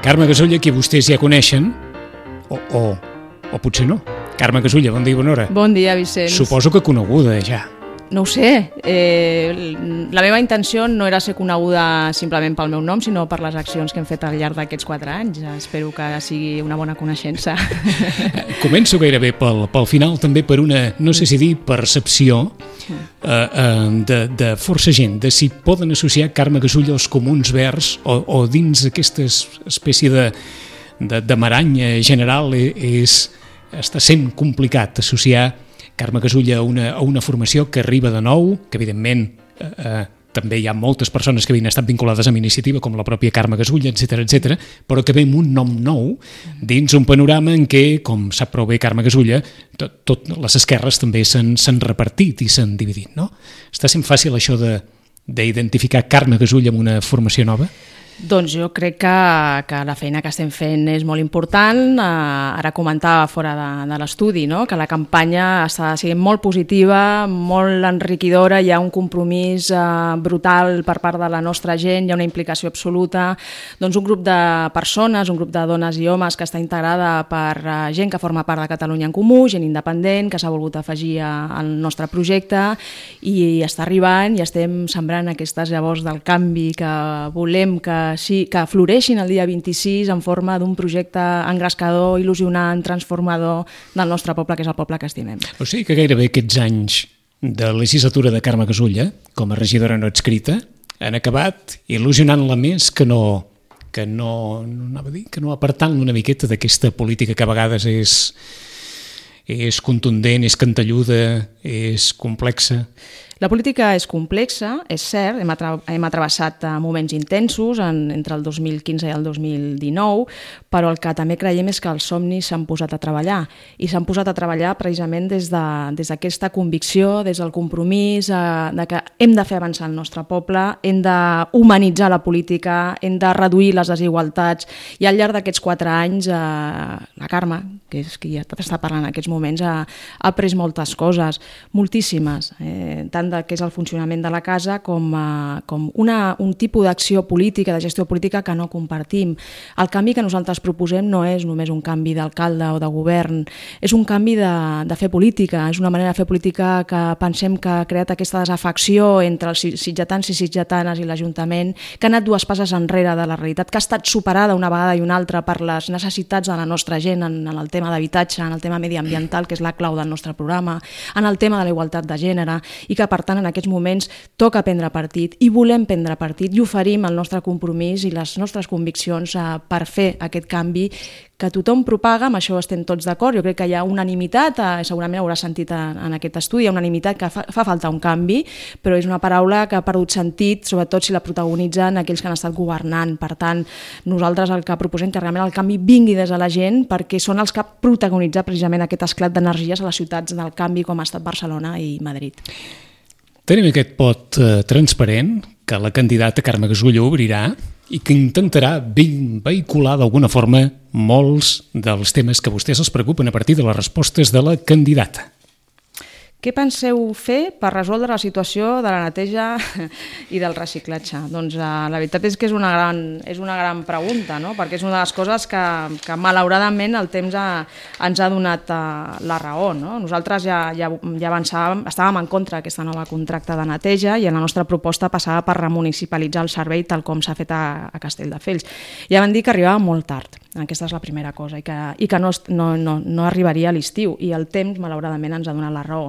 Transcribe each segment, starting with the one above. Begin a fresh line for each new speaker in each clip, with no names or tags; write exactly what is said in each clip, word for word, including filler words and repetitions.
Carme Gasulla, qui vostès ja coneixen, o, o, o potser no. Carme Gasulla, bon dia i bona hora.
Bon dia, Vicenç.
Suposo que coneguda ja.
No ho sé. Eh, la meva intenció no era ser coneguda simplement pel meu nom, sinó per les accions que hem fet al llarg d'aquests quatre anys. Espero que sigui una bona coneixença.
Començo gairebé pel, pel final, també per una, no sé si dir, percepció eh, eh, de, de força gent, de si poden associar Carme Gasulla als Comuns Verds o, o dins aquesta espècie de, de, de maranya general és, està sent complicat associar Carme Gasulla a una, a una formació que arriba de nou, que evidentment eh, eh, també hi ha moltes persones que havien estat vinculades amb iniciativa, com la pròpia Carme Gasulla, etcètera, etcètera, però que ve amb un nom nou dins un panorama en què, com sap prou bé Carme Gasulla, tot, tot les esquerres també s'han repartit i s'han dividit, no? Està sent fàcil això de d'identificar Carme Gasulla amb una formació nova?
Doncs jo crec que, que la feina que estem fent és molt important. Uh, ara comentava fora de, de l'estudi, no? Que la campanya està sent molt positiva, molt enriquidora, hi ha un compromís uh, brutal per part de la nostra gent, hi ha una implicació absoluta. Doncs un grup de persones, un grup de dones i homes que està integrada per uh, gent que forma part de Catalunya en Comú, gent independent, que s'ha volgut afegir a, al nostre projecte i està arribant i estem sembrant aquestes llavors del canvi que volem que Sí, que floreixin el dia vint-i-sis en forma d'un projecte engrescador, il·lusionant, transformador del nostre poble, que és el poble que estimem.
O sigui que gairebé aquests anys de legislatura de Carme Gasulla, com a regidora no adscrita, han acabat il·lusionant-la més que no, que no, no anava a dir, que no apartant-la una miqueta d'aquesta política que a vegades és, és contundent, és cantelluda, és complexa.
La política és complexa, és cert, hem, atra hem atravessat moments intensos en, entre el dos mil quinze i el dos mil dinou, però el que també creiem és que els somnis s'han posat a treballar i s'han posat a treballar precisament des d'aquesta de, convicció, des del compromís eh, de que hem de fer avançar el nostre poble, hem d'humanitzar la política, hem de reduir les desigualtats i al llarg d'aquests quatre anys eh, la Carme, que és qui està parlant en aquests moments, ha, ha après moltes coses, moltíssimes, eh, tant de què és el funcionament de la casa com, uh, com una, un tipus d'acció política, de gestió política que no compartim. El canvi que nosaltres proposem no és només un canvi d'alcalde o de govern, és un canvi de, de fer política, és una manera de fer política que pensem que ha creat aquesta desafecció entre els sitgetans i sitgetanes i l'Ajuntament, que ha anat dues passes enrere de la realitat, que ha estat superada una vegada i una altra per les necessitats de la nostra gent en, en el tema d'habitatge, en el tema mediambiental, que és la clau del nostre programa, en el tema de la igualtat de gènere, i que per tant en aquests moments toca prendre partit i volem prendre partit i oferim el nostre compromís i les nostres conviccions eh, per fer aquest canvi que tothom propaga, amb això estem tots d'acord. Jo crec que hi ha unanimitat, eh, segurament haurà sentit en, en aquest estudi, hi ha unanimitat que fa, fa falta un canvi, però és una paraula que ha perdut sentit, sobretot si la protagonitzen aquells que han estat governant. Per tant, nosaltres el que proposem que realment el canvi vingui des de la gent perquè són els que protagonitzen precisament aquest esclat d'energies a les ciutats del canvi com ha estat Barcelona i Madrid.
Tenim aquest pot eh, transparent que la candidata Carme Gasulla obrirà i que intentarà vehicular d'alguna forma molts dels temes que a vostès els preocupen a partir de les respostes de la candidata.
Què penseu fer per resoldre la situació de la neteja i del reciclatge? Doncs eh, la veritat és que és una gran, és una gran pregunta, no? Perquè és una de les coses que, que malauradament el temps ha, ens ha donat eh, la raó. No? Nosaltres ja, ja, ja avançàvem, estàvem en contra d'aquesta nova contracte de neteja i en la nostra proposta passava per remunicipalitzar el servei tal com s'ha fet a, a Castelldefels. Ja van dir que arribava molt tard. Aquesta és la primera cosa i que, i que no, no, no, no arribaria a l'estiu i el temps malauradament ens ha donat la raó.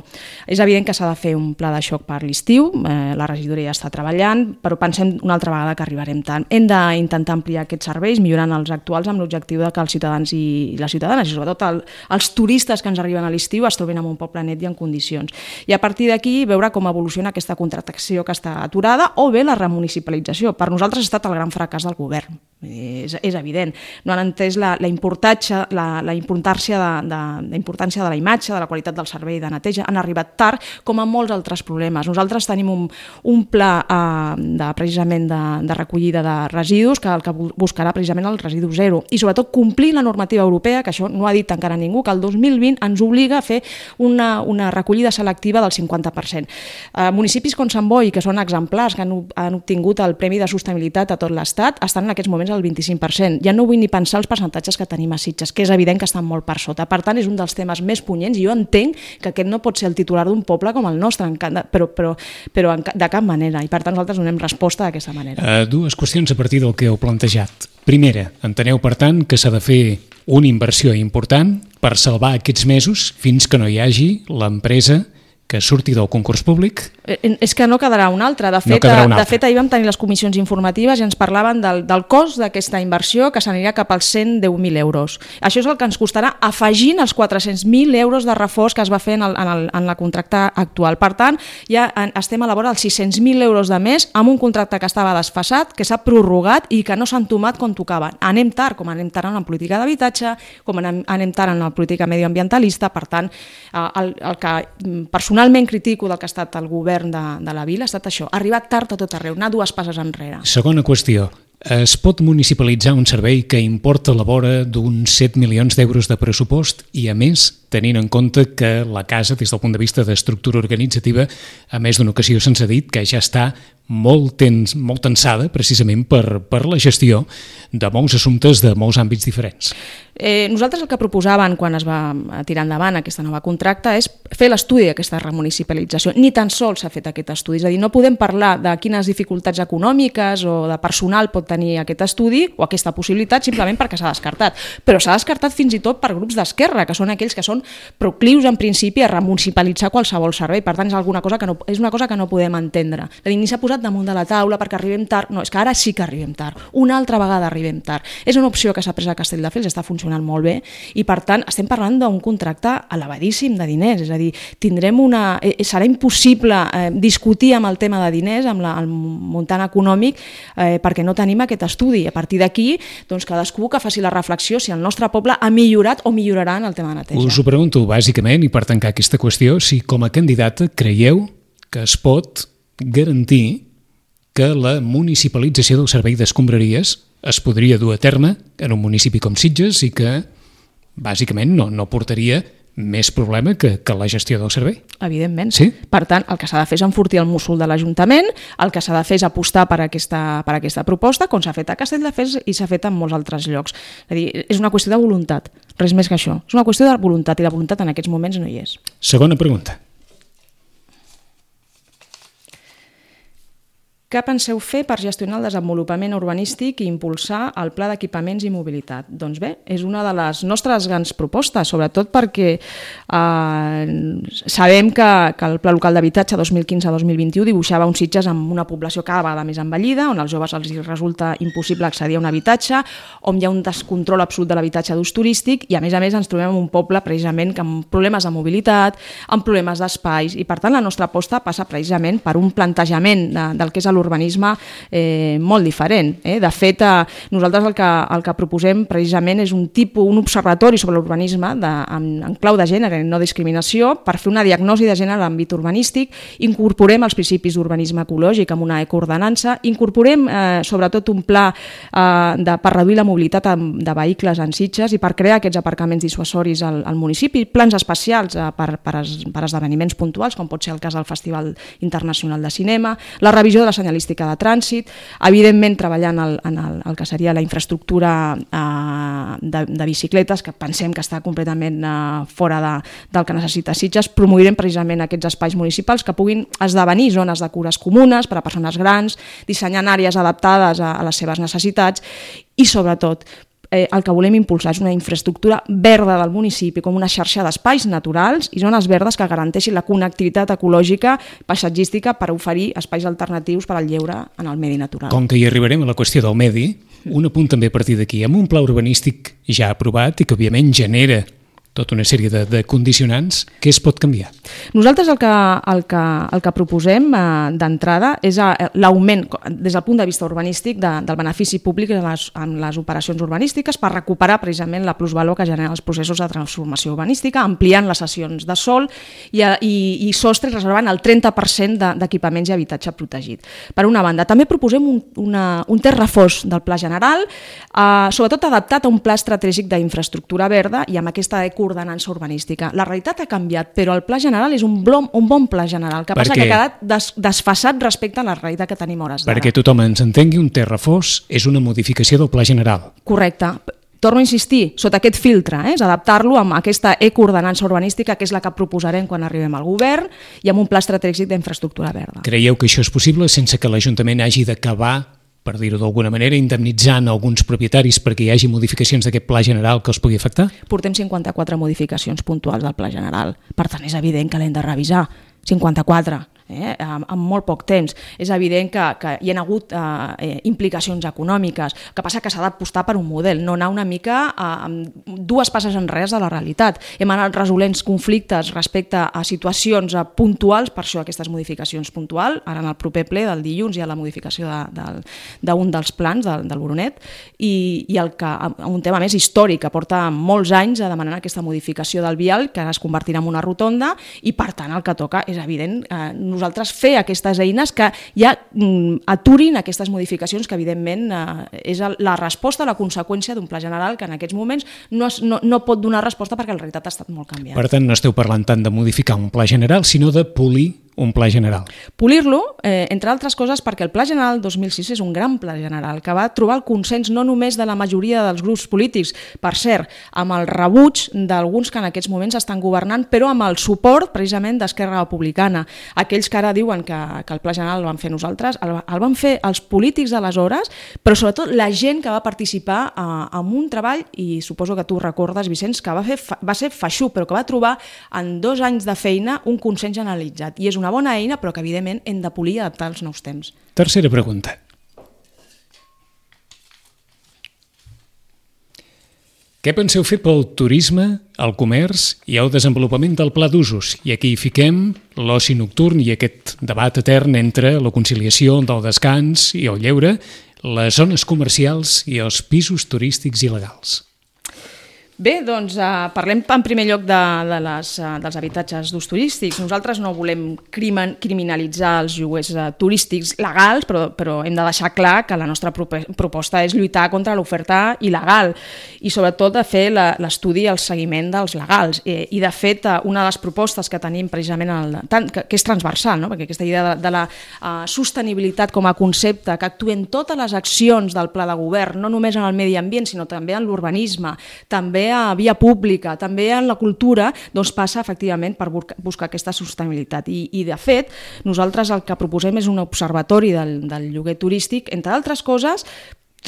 És evident que s'ha de fer un pla de xoc per l'estiu, eh, la regidoria ja està treballant, però pensem una altra vegada que arribarem tant. Hem d'intentar ampliar aquests serveis, millorant els actuals amb l'objectiu de que els ciutadans i les ciutadanes, i sobretot el, els turistes que ens arriben a l'estiu es trobin en un poble net i en condicions. I a partir d'aquí veure com evoluciona aquesta contractació que està aturada o bé la remunicipalització. Per nosaltres ha estat el gran fracàs del govern, és, és evident. No han entès la, la, importància, la, la importància, de, de, la importància de la imatge, de la qualitat del servei de neteja, han arribat tard, com a molts altres problemes. Nosaltres tenim un, un pla eh, de, precisament de, de recollida de residus que el que buscarà precisament el residu zero i sobretot complir la normativa europea, que això no ha dit encara ningú, que el dos mil vint ens obliga a fer una, una recollida selectiva del cinquanta per cent. Eh, municipis com Sant Boi, que són exemplars, que han, han obtingut el Premi de Sostenibilitat a tot l'Estat, estan en aquests moments al vint-i-cinc per cent. Ja no vull ni pensar els percentatges que tenim a Sitges, que és evident que estan molt per sota. Per tant, és un dels temes més punyents i jo entenc que aquest no pot ser el titular d'un poble com el nostre, però, però, però de cap manera, i per tant nosaltres donem resposta d'aquesta manera.
Uh, dues qüestions a partir del que heu plantejat. Primera, enteneu per tant que s'ha de fer una inversió important per salvar aquests mesos fins que no hi hagi l'empresa que surti del concurs públic?
És que no quedarà una altra. De fet, no de fet ahir vam tenir les comissions informatives i ens parlaven del, del cost d'aquesta inversió, que s'anirà cap als cent deu mil euros. Això és el que ens costarà afegint els quatre-cents mil euros de reforç que es va fer en, el, en, el, en la contracte actual. Per tant, ja estem a la vora dels sis-cents mil euros de més amb un contracte que estava desfasat, que s'ha prorrogat i que no s'han tomat com tocava. Anem tard, com anem tard en la política d'habitatge, com anem, anem tard en la política medioambientalista. Per tant, el, el que personalment Personalment critico del que ha estat el govern de, de la vila ha estat això, arribar tard a tot arreu, anar dues passes enrere.
Segona qüestió, es pot municipalitzar un servei que importa a la vora d'uns set milions d'euros de pressupost i, a més, tenint en compte que la casa, des del punt de vista d'estructura organitzativa, a més d'una ocasió se'ns ha dit que ja està molt, tens, molt tensada precisament per, per la gestió de molts assumptes de molts àmbits diferents.
Eh, nosaltres el que proposàvem quan es va tirar endavant aquesta nova contracta és fer l'estudi d'aquesta remunicipalització. Ni tan sols s'ha fet aquest estudi, és a dir, no podem parlar de quines dificultats econòmiques o de personal pot tenir aquest estudi o aquesta possibilitat simplement perquè s'ha descartat. Però s'ha descartat fins i tot per grups d'esquerra, que són aquells que són proclius en principi a remunicipalitzar qualsevol servei. Per tant, és, alguna cosa que no, és una cosa que no podem entendre. És a dir, ni s'ha posat damunt de la taula perquè arribem tard. No, és que ara sí que arribem tard. Una altra vegada arribem tard. És una opció que s'ha pres a Castelldefels, està funcionant molt bé i, per tant, estem parlant d'un contracte elevadíssim de diners. És a dir, tindrem una... Eh, serà impossible eh, discutir amb el tema de diners, amb la, el muntant econòmic, eh, perquè no tenim aquest estudi. A partir d'aquí, doncs, cadascú que faci la reflexió si el nostre poble ha millorat o millorarà en el tema de neteja.
Us ho pregunto bàsicament, i per tancar aquesta qüestió, si com a candidata creieu que es pot garantir que la municipalització del servei d'escombraries es podria dur a terme en un municipi com Sitges i que bàsicament no, no portaria més problema que, que la gestió del servei.
Evidentment.
Sí?
Per tant, el que s'ha de fer és enfortir el múscul de l'Ajuntament, el que s'ha de fer és apostar per aquesta, per aquesta proposta, com s'ha fet a Castelldefels i s'ha fet en molts altres llocs. És a dir, és una qüestió de voluntat, res més que això. És una qüestió de voluntat i la voluntat en aquests moments no hi és.
Segona pregunta.
Què penseu fer per gestionar el desenvolupament urbanístic i impulsar el pla d'equipaments i mobilitat? Doncs bé, és una de les nostres grans propostes, sobretot perquè eh, sabem que, que el Pla Local d'Habitatge dos mil quinze a dos mil vint-i-u dibuixava uns Sitges amb una població cada vegada més envellida, on als joves els resulta impossible accedir a un habitatge, on hi ha un descontrol absolut de l'habitatge d'ús turístic i, a més a més, ens trobem en un poble precisament amb problemes de mobilitat, amb problemes d'espais, i per tant la nostra aposta passa precisament per un plantejament de, del que és l'urbanisme eh, molt diferent. Eh? De fet, eh, nosaltres el que, el que proposem precisament és un tipus, un observatori sobre l'urbanisme en, en clau de gènere i no discriminació per fer una diagnosi de gènere a l'àmbit urbanístic, incorporem els principis d'urbanisme ecològic amb una ecoordenança, incorporem eh, sobretot un pla eh, de, per reduir la mobilitat de vehicles en Sitges i per crear aquests aparcaments dissuasoris al, al municipi, plans especials eh, per, per, es, per esdeveniments puntuals, com pot ser el cas del Festival Internacional de Cinema, la revisió de la senyalística de trànsit, evidentment treballant el, en el, el que seria la infraestructura eh, de, de bicicletes, que pensem que està completament eh, fora de, del que necessita Sitges. Promourem precisament aquests espais municipals que puguin esdevenir zones de cures comunes per a persones grans, dissenyant àrees adaptades a, a les seves necessitats i, sobretot, Eh, el que volem impulsar és una infraestructura verda del municipi, com una xarxa d'espais naturals i zones verdes que garanteixin la connectivitat ecològica, paisatgística, per oferir espais alternatius per al lleure en el medi natural.
Com que hi arribarem a la qüestió del medi, un apunt també a partir d'aquí. Amb un pla urbanístic ja aprovat i que òbviament genera tota una sèrie de, de condicionants, què es pot canviar?
Nosaltres el que, el que, el que proposem eh, d'entrada és l'augment, des del punt de vista urbanístic, de, del benefici públic en les, en les operacions urbanístiques per recuperar precisament la plusvalor que generen els processos de transformació urbanística, ampliant les cessions de sòl i, i, i sostres reservant el trenta per cent d'equipaments i habitatge protegit. Per una banda, també proposem un, una, un terç reforç del Pla General, eh, sobretot adaptat a un pla estratègic d'infraestructura verda i amb aquesta ordenança urbanística. La realitat ha canviat, però el Pla General és un, blom, un bon Pla General, que passa que ha quedat des, desfasat respecte a la realitat que tenim hores d'ara.
Perquè tothom ens entengui, un terç reforç és una modificació del Pla General.
Correcte. Torno a insistir, sota aquest filtre, eh, és adaptar-lo amb aquesta ecoordenança urbanística, que és la que proposarem quan arribem al govern, i amb un pla estratègic d'infraestructura verda.
Creieu que això és possible sense que l'Ajuntament hagi d'acabar, per dir-ho d'alguna manera, indemnitzant alguns propietaris perquè hi hagi modificacions d'aquest Pla General que els pugui afectar?
Portem cinquanta-quatre modificacions puntuals del Pla General. Per tant, és evident que l'hem de revisar. cinquanta-quatre. Eh, amb, amb molt poc temps. És evident que, que hi ha hagut eh, implicacions econòmiques, que passa que s'ha d'apostar per un model, no anar una mica eh, amb dues passes enrere de la realitat. Hem anat resolent conflictes respecte a situacions eh, puntuals, per això aquestes modificacions puntuals, ara en el proper ple del dilluns hi ha la modificació d'un de, de, de dels plans del, del Boronet, i, i el que, un tema més històric, que porta molts anys a demanar aquesta modificació del vial, que ara es convertirà en una rotonda, i per tant el que toca és evident eh, nosaltres fer aquestes eines que ja mm, aturin aquestes modificacions que evidentment eh, és la resposta, la conseqüència d'un pla general que en aquests moments no, es, no, no pot donar resposta perquè la realitat ha estat molt canviant.
Per tant, no esteu parlant tant de modificar un pla general, sinó de polir un pla general.
Polir-lo, eh, entre altres coses, perquè el Pla General dos mil sis és un gran pla general que va trobar el consens no només de la majoria dels grups polítics, per cert, amb el rebuig d'alguns que en aquests moments estan governant, però amb el suport precisament d'Esquerra Republicana. Aquells que ara diuen que, que el Pla General el van fer nosaltres, el, el van fer els polítics d'aleshores, però sobretot la gent que va participar eh, en un treball, i suposo que tu recordes, Vicenç, que va, fer, va ser feixuc, però que va trobar en dos anys de feina un consens generalitzat. I és una bona eina, però que evidentment hem de polir i adaptar als nous temps.
Tercera pregunta. Què penseu fer pel turisme, el comerç i el desenvolupament del pla d'usos? I aquí hi fiquem l'oci nocturn i aquest debat etern entre la conciliació del descans i el lleure, les zones comercials i els pisos turístics il·legals.
Bé, doncs eh, parlem en primer lloc de, de les, uh, dels habitatges d'ús turístics. Nosaltres no volem crimen, criminalitzar els lloguers uh, turístics legals, però, però hem de deixar clar que la nostra proposta és lluitar contra l'oferta il·legal i sobretot de fer l'estudi i el seguiment dels legals. I, i de fet, uh, una de les propostes que tenim precisament, el, tant, que, que és transversal, no? Perquè aquesta idea de, de la uh, sostenibilitat com a concepte, que actuen totes les accions del pla de govern, no només en el medi ambient, sinó també en l'urbanisme, també a via pública, també en la cultura, doncs passa efectivament per buscar aquesta sostenibilitat. I, i de fet, nosaltres el que proposem és un observatori del, del lloguer turístic, entre altres coses,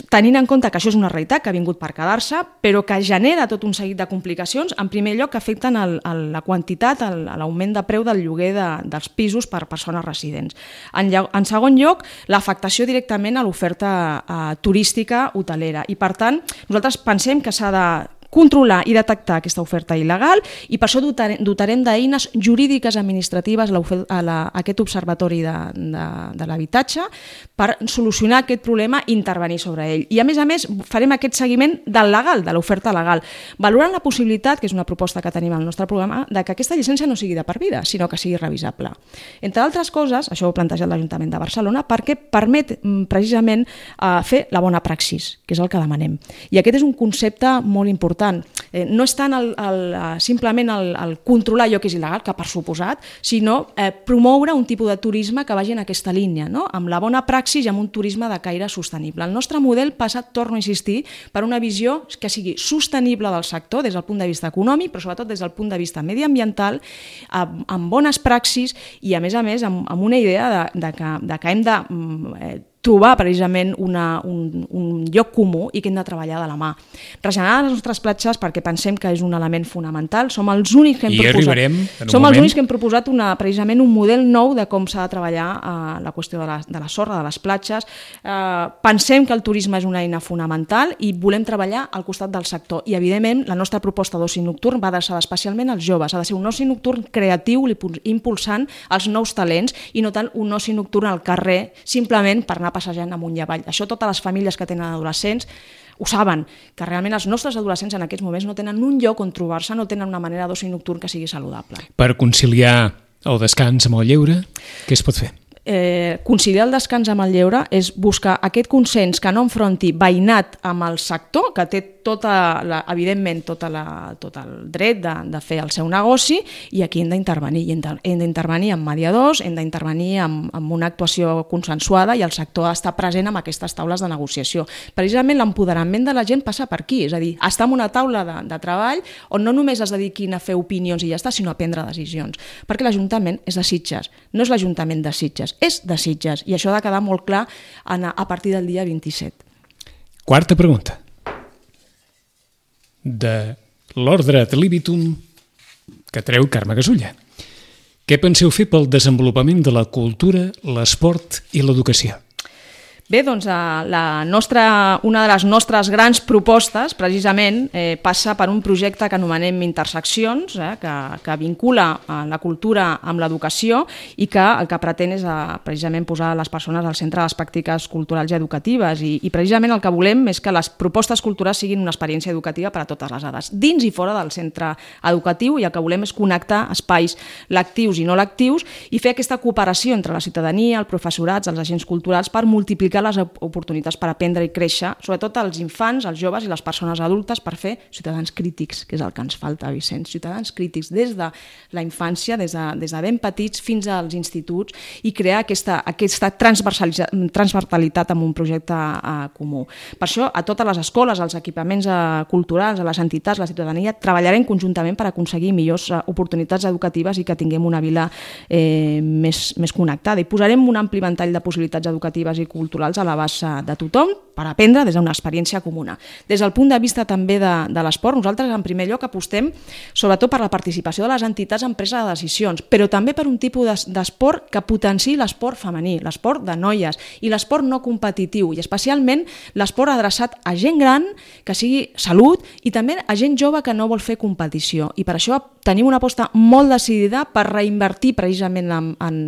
tenint en compte que això és una realitat que ha vingut per quedar-se, però que genera tot un seguit de complicacions, en primer lloc que afecten el, el, la quantitat, l'augment de preu del lloguer de, dels pisos per persones residents. En, en segon lloc, l'afectació directament a l'oferta eh, turística hotelera. I per tant, nosaltres pensem que s'ha de controlar i detectar aquesta oferta il·legal i per això dotarem, dotarem d'eines jurídiques administratives a, a, la, a aquest observatori de, de, de l'habitatge per solucionar aquest problema i intervenir sobre ell. I a més a més farem aquest seguiment del legal, de l'oferta legal, valorant la possibilitat, que és una proposta que tenim al nostre programa, de que aquesta llicència no sigui de per vida, sinó que sigui revisable. Entre altres coses, això ho ha plantejat l'Ajuntament de Barcelona, perquè permet precisament eh, fer la bona praxis, que és el que demanem. I aquest és un concepte molt important. Eh, no és tant el, el, simplement el, el controlar allò que és il·legal, que per suposat, sinó eh, promoure un tipus de turisme que vagi en aquesta línia, no? Amb la bona praxis i amb un turisme de caire sostenible. El nostre model passa, torno a insistir, per una visió que sigui sostenible del sector des del punt de vista econòmic, però sobretot des del punt de vista mediambiental, amb, amb bones praxis i, a més a més, amb, amb una idea de, de, que, de que hem de... Eh, trobar precisament una, un, un lloc comú i que hem de treballar de la mà. Regenerar les nostres platges perquè pensem que és un element fonamental. Som els únics que hem
I
proposat, som
moment.
els únics que hem proposat una, precisament un model nou de com s'ha de treballar eh, la qüestió de la, de la sorra, de les platges. Eh, pensem que el turisme és una eina fonamental i volem treballar al costat del sector. I, evidentment, la nostra proposta d'oci nocturn va adreçada especialment als joves. Ha de ser un oci nocturn creatiu, impulsant els nous talents i no tant un oci nocturn al carrer, simplement per anar passejant amunt i avall. Això totes les famílies que tenen adolescents ho saben, que realment els nostres adolescents en aquests moments no tenen un lloc on trobar-se, no tenen una manera d'oci nocturn que sigui saludable.
Per conciliar el descans amb el lleure, què es pot fer?
Eh, conciliar el descans amb el lleure és buscar aquest consens que no enfronti veïnat amb el sector, que té tota la, evidentment tota la, tot el dret de, de fer el seu negoci, i aquí hem d'intervenir. Hem d'intervenir amb mediadors, hem d'intervenir amb, amb una actuació consensuada i el sector està present en aquestes taules de negociació. Precisament l'empoderament de la gent passa per aquí, és a dir, estar en una taula de, de treball on no només es dediquin a fer opinions i ja està, sinó a prendre decisions. Perquè l'Ajuntament és de Sitges, no és l'Ajuntament de Sitges, és de Sitges, i això ha de quedar molt clar a partir del dia vint-i-set.
Quarta pregunta. De l'ordre ad libitum que treu Carme Gasulla. Què penseu fer pel desenvolupament de la cultura, l'esport i l'educació?
Bé, doncs la nostra, una de les nostres grans propostes precisament eh, passa per un projecte que anomenem Interseccions, eh, que, que vincula eh, la cultura amb l'educació i que el que pretén és eh, precisament posar les persones al centre de les pràctiques culturals i educatives i, i precisament el que volem és que les propostes culturals siguin una experiència educativa per a totes les edats, dins i fora del centre educatiu, i el que volem és connectar espais lectius i no lectius i fer aquesta cooperació entre la ciutadania, el professorat, els agents culturals per multiplicar les oportunitats per aprendre i créixer, sobretot als infants, als joves i les persones adultes, per fer ciutadans crítics, que és el que ens falta, Vicenç, ciutadans crítics des de la infància, des de, des de ben petits fins als instituts, i crear aquesta, aquesta transversalitat amb un projecte eh, comú. Per això, a totes les escoles, als equipaments eh, culturals, a les entitats, la ciutadania, treballarem conjuntament per aconseguir millors eh, oportunitats educatives i que tinguem una vila eh, més, més connectada. I posarem un ampli ventall de possibilitats educatives i culturals a l'abast de tothom per aprendre des d'una experiència comuna. Des del punt de vista també de, de l'esport, nosaltres en primer lloc apostem sobretot per la participació de les entitats en presa de decisions, però també per un tipus d'esport que potenciï l'esport femení, l'esport de noies i l'esport no competitiu, i especialment l'esport adreçat a gent gran que sigui salut i també a gent jove que no vol fer competició. I per això tenim una aposta molt decidida per reinvertir precisament en, en,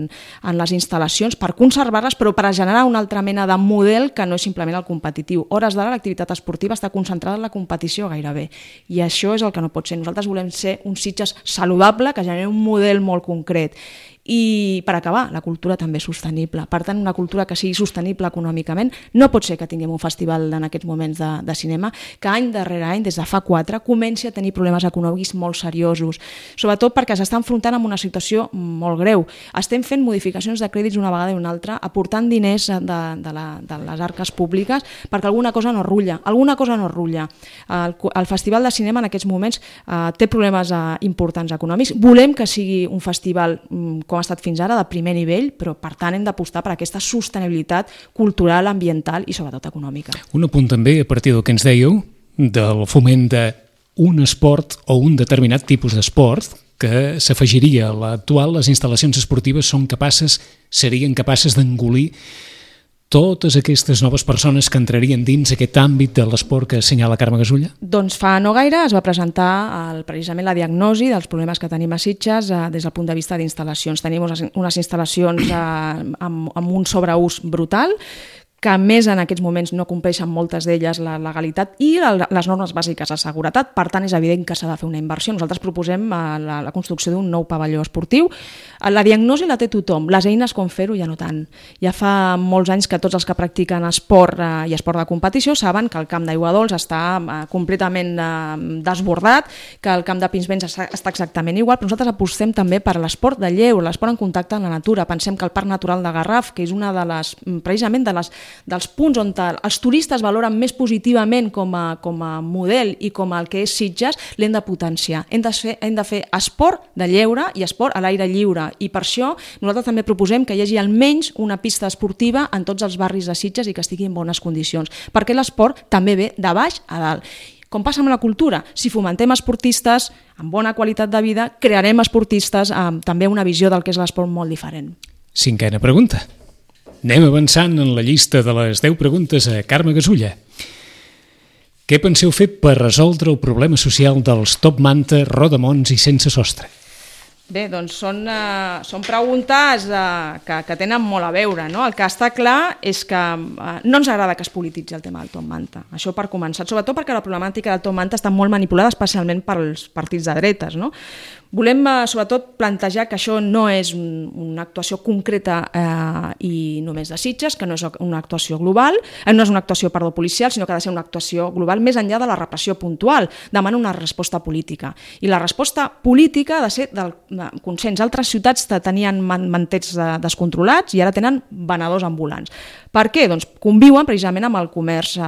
en les instal·lacions, per conservar-les, però per generar una altra mena de model que no és simplement el competitiu. Hores d'ara l'activitat esportiva està concentrada en la competició gairebé, i això és el que no pot ser. Nosaltres volem ser un Sitges saludable que generi un model molt concret. I per acabar, la cultura també és sostenible. Per tant, una cultura que sigui sostenible econòmicament. No pot ser que tinguem un festival en aquests moments de, de cinema que any darrere any, des de fa quatre, comenci a tenir problemes econòmics molt seriosos, sobretot perquè s'està enfrontant amb una situació molt greu. Estem fent modificacions de crèdits una vegada i una altra, aportant diners de, de, la, de les arques públiques perquè alguna cosa no rutlla. Alguna cosa no rutlla. El, el Festival de Cinema en aquests moments eh, té problemes eh, importants econòmics. Volem que sigui un festival com com ha estat fins ara, de primer nivell, però per tant hem d'apostar per aquesta sostenibilitat cultural, ambiental i sobretot econòmica.
Un apunt també, a partir del que ens dèieu, del foment d'un esport o un determinat tipus d'esport que s'afegiria a l'actual. Les instal·lacions esportives són capaces, serien capaces d'engolir totes aquestes noves persones que entrarien dins aquest àmbit de l'esport que assenyala Carme Gasulla?
Doncs fa no gaire es va presentar el, precisament la diagnosi dels problemes que tenim a Sitges eh, des del punt de vista d'instal·lacions. Tenim unes, unes instal·lacions eh, amb, amb un sobreús brutal, que a més en aquests moments no compleixen moltes d'elles la legalitat i la, les normes bàsiques de seguretat. Per tant, és evident que s'ha de fer una inversió. Nosaltres proposem la, la construcció d'un nou pavelló esportiu. La diagnosi la té tothom, les eines com fer-ho ja no tant. Ja fa molts anys que tots els que practiquen esport eh, i esport de competició saben que el camp d'Aigua Dols està eh, completament eh, desbordat, que el camp de Pinsbens està, està exactament igual, però nosaltres apostem també per l'esport de lleure, l'esport en contacte amb la natura. Pensem que el Parc Natural de Garraf, que és una de les, precisament de les dels punts on els turistes valoren més positivament com a, com a model i com el que és Sitges, l'hem de potenciar. Hem de, fer, hem de fer esport de lleure i esport a l'aire lliure, i per això nosaltres també proposem que hi hagi almenys una pista esportiva en tots els barris de Sitges i que estigui en bones condicions, perquè l'esport també ve de baix a dalt. Com passa amb la cultura, si fomentem esportistes amb bona qualitat de vida, crearem esportistes amb també una visió del que és l'esport molt diferent.
Cinquena pregunta. Anem avançant en la llista de les deu preguntes a Carme Gasulla. Què penseu fer per resoldre el problema social dels Top Manta, Rodamons i Sense Sostre?
Bé, doncs són, uh, són preguntes uh, que, que tenen molt a veure, no? El que està clar és que uh, no ens agrada que es polititzi el tema del Top Manta. Això per començar, sobretot perquè la problemàtica del Top Manta està molt manipulada, especialment pels partits de dretes, no? Volem, uh, sobretot, plantejar que això no és un, una actuació concreta eh, i només de Sitges, que no és una actuació global, eh, no és una actuació, perdó, policial, sinó que ha de ser una actuació global més enllà de la repressió puntual. Demana una resposta política. I la resposta política ha de ser del de consens. Altres ciutats tenien manters descontrolats i ara tenen venedors ambulants. Per què? Doncs conviuen precisament amb el comerç eh,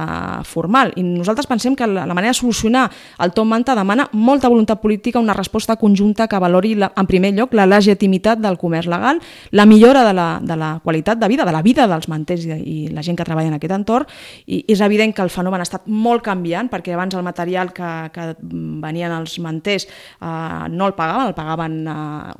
formal. I nosaltres pensem que la, la manera de solucionar el Top Manta demana molta voluntat política, una resposta conjunta que valori, la, en primer lloc, la legitimitat del comerç legal, la millora de la, de la qualitat de vida, de la vida dels manters i, i la gent que treballa en aquest entorn. I és evident que el fenomen ha estat molt canviant, perquè abans el material que, que venien els manters eh, no el pagaven, el pagaven eh,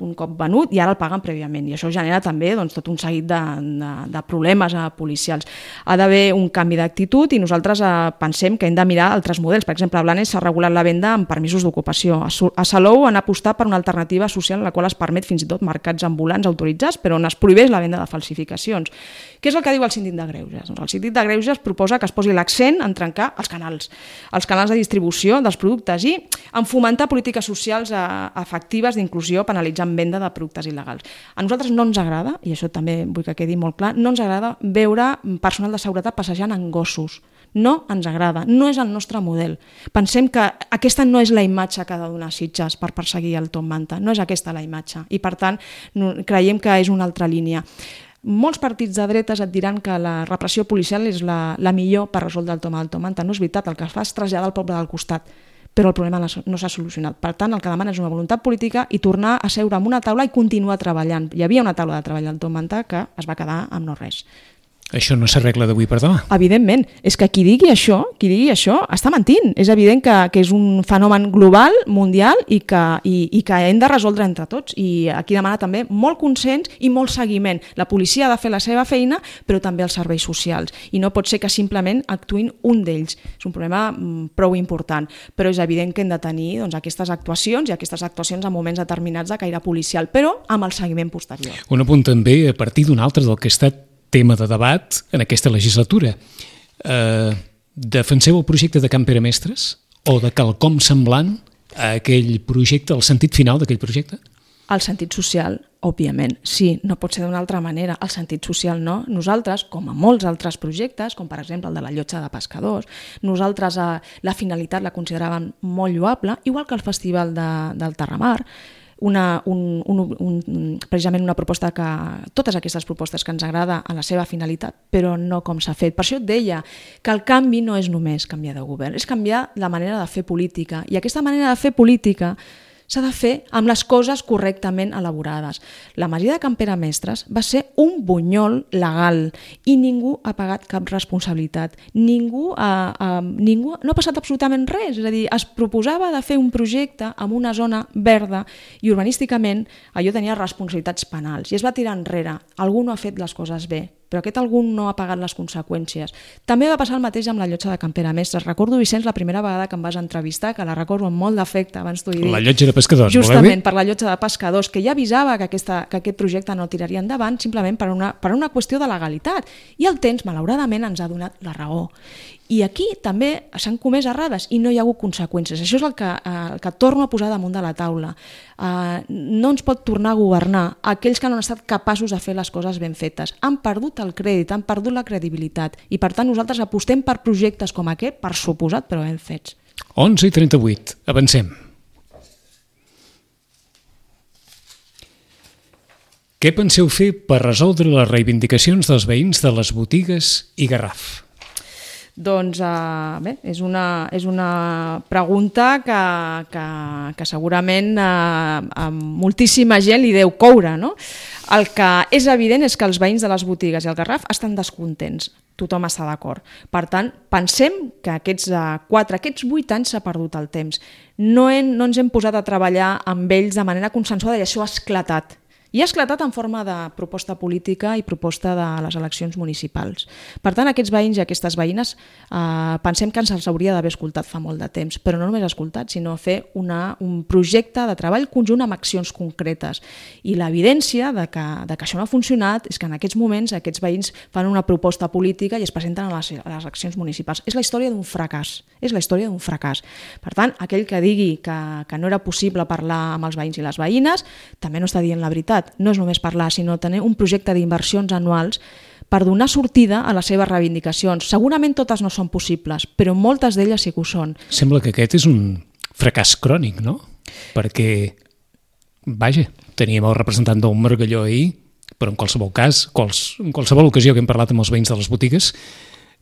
un cop venut i ara el paguen prèviament. I això genera també doncs, tot un seguit de, de, de problemes eh, policials. Ha d'haver un canvi d'actitud i nosaltres eh, pensem que hem de mirar altres models. Per exemple, a Blanes s'ha regulat la venda amb permisos d'ocupació. A Salou han apostat per una alternativa social en la qual es permet fins i tot mercats ambulants autoritzats, però on es prohibeix la venda de falsificacions. Què és el que diu el síndic de Greuges? Doncs el síndic de Greuges proposa que es posi l'accent en trencar els canals, els canals de distribució dels productes i en fomentar polítiques socials eh, efectives d'inclusió penalitzant venda de productes il·legals. A nosaltres no ens agrada, i això també vull que quedi molt clar, no ens agrada veure personal de seguretat passejant en gossos. No ens agrada, no és el nostre model. Pensem que aquesta no és la imatge que ha de donar Sitges per perseguir el Top Manta, no és aquesta la imatge i per tant no, creiem que és una altra línia. Molts partits de dretes et diran que la repressió policial és la, la millor per resoldre el tema del Top Manta. No és veritat, el que fa és traslladar al poble del costat, però el problema no s'ha solucionat. Per tant, el que demana és una voluntat política i tornar a seure en una taula i continuar treballant. Hi havia una taula de treball al Top Manta que es va quedar amb no res.
Això no s'arregla d'avui per demà.
Evidentment. És que qui digui això, qui digui això, està mentint. És evident que, que és un fenomen global, mundial, i que, i, i que hem de resoldre entre tots. I aquí demana també molt consens i molt seguiment. La policia ha de fer la seva feina, però també els serveis socials. I no pot ser que simplement actuïn un d'ells. És un problema prou important. Però és evident que hem de tenir doncs, aquestes actuacions i aquestes actuacions en moments determinats de caire policial, però amb el seguiment posterior.
Un apunt també a partir d'un altre del que ha estat tema de debat en aquesta legislatura. Eh, defenseu el projecte de Can Pere Mestres o de quelcom semblant a aquell projecte, el sentit final d'aquell projecte?
El sentit social, òbviament, sí, no pot ser d'una altra manera. El sentit social no. Nosaltres, com a molts altres projectes, com per exemple el de la llotja de pescadors, nosaltres eh, la finalitat la consideràvem molt lloable, igual que el Festival de, del Terramar, Una, un, un, un, precisament una proposta que, totes aquestes propostes que ens agrada en la seva finalitat, però no com s'ha fet. Per això et deia que el canvi no és només canviar de govern, és canviar la manera de fer política. I aquesta manera de fer política s'ha de fer amb les coses correctament elaborades. La masia de Can Pere Mestres va ser un bunyol legal i ningú ha pagat cap responsabilitat. Ningú ha, ha, ningú, no ha passat absolutament res. És a dir, es proposava de fer un projecte en una zona verda i urbanísticament allò tenia responsabilitats penals i es va tirar enrere. Algú no ha fet les coses bé, però aquest algú no ha pagat les conseqüències. També va passar el mateix amb la llotja de Can Pere Mestres. Recordo, Vicenç, la primera vegada que em vas entrevistar, que la recordo amb molt d'afecte, abans t'ho he dit.
La llotja de pescadors,
justament per la llotja de pescadors, que ja avisava que, aquesta, que aquest projecte no tiraria endavant simplement per una, per una qüestió de legalitat. I el temps, malauradament, ens ha donat la raó. I aquí també s'han comès errades i no hi ha hagut conseqüències. Això és el que, eh, el que torno a posar damunt de la taula. Eh, no ens pot tornar a governar aquells que no han estat capaços de fer les coses ben fetes. Han perdut el crèdit, han perdut la credibilitat i per tant nosaltres apostem per projectes com aquest, per suposat, però ben fets.
onze i trenta-vuit, avancem. Què penseu fer per resoldre les reivindicacions dels veïns de les botigues i Garraf?
Doncs uh, bé, és una, és una pregunta que, que, que segurament uh, a moltíssima gent li deu coure, no? El que és evident és que els veïns de les botigues i el Garraf estan descontents. Tothom està d'acord. Per tant, pensem que aquests quatre, aquests vuit anys s'ha perdut el temps. No, hem, no ens hem posat a treballar amb ells de manera consensuada i això ha esclatat. I ha esclatat en forma de proposta política i proposta de les eleccions municipals. Per tant, aquests veïns i aquestes veïnes eh, pensem que ens els hauria d'haver escoltat fa molt de temps, però no només escoltat, sinó fer una, un projecte de treball conjunt amb accions concretes. I l'evidència de que, de que això no ha funcionat és que en aquests moments aquests veïns fan una proposta política i es presenten a les, a les eleccions municipals. És la història d'un fracàs. És la història d'un fracàs. Per tant, aquell que digui que, que no era possible parlar amb els veïns i les veïnes també no està dient la veritat. No és només parlar, sinó tenir un projecte d'inversions anuals per donar sortida a les seves reivindicacions. Segurament totes no són possibles, però moltes d'elles sí que ho són.
Sembla que aquest és un fracàs crònic, no? Perquè, vaja, teníem el representant d'un Margalló ahir, però en qualsevol cas, quals, en qualsevol ocasió que hem parlat amb els veïns de les botigues,